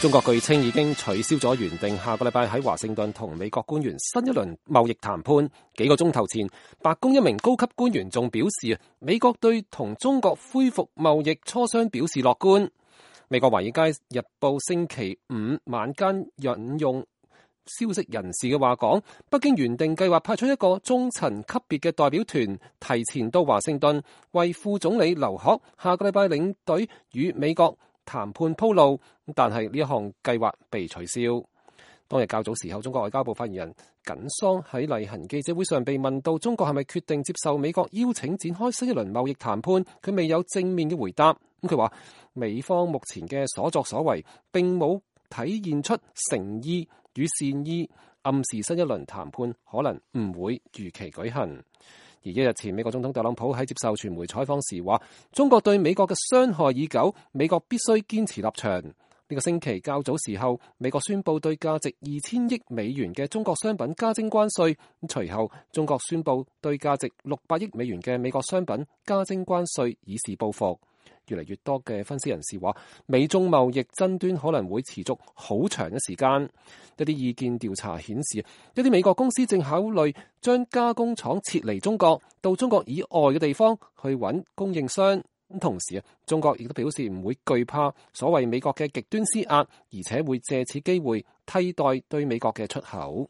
中國據稱已經取消咗原定下個禮拜喺華盛頓同美國官員新一輪貿易談判。幾個鐘頭前，白宮一名高級官員仲表示，美國對同中國恢復貿易磋商表示樂觀。美國華爾街日報星期五晚間引用消息人士嘅話講，北京原定計劃派出一個中層級別嘅代表團提前到華盛頓，為副總理劉鶴下個禮拜領隊與美國談判鋪路，但係呢一項計劃被取消。當日較早時候，中國外交部發言人耿爽喺例行記者會上被問到中國係咪決定接受美國邀請展開新一輪貿易談判，佢未有正面嘅回答。咁佢話美方目前嘅所作所為並冇體現出誠意與善意，暗示新一輪談判可能唔會如期舉行。而一日前，美國總統特朗普喺接受傳媒採訪時話，中國對美國嘅傷害已久，美國必須堅持立場。呢個星期較早時候，美國宣布對價值2000億美元嘅中國商品加徵關稅，隨後中國宣布對價值600億美元嘅美國商品加徵關稅，以示報復。越嚟越多嘅分析人士話，美中貿易爭端可能會持續好長嘅時間。一啲意見調查顯示，一啲美國公司正考慮將加工廠撤離中國，到中國以外嘅地方去揾供應商。同時中國亦都表示唔會懼怕所謂美國嘅極端施壓，而且會借此機會替代對美國嘅出口。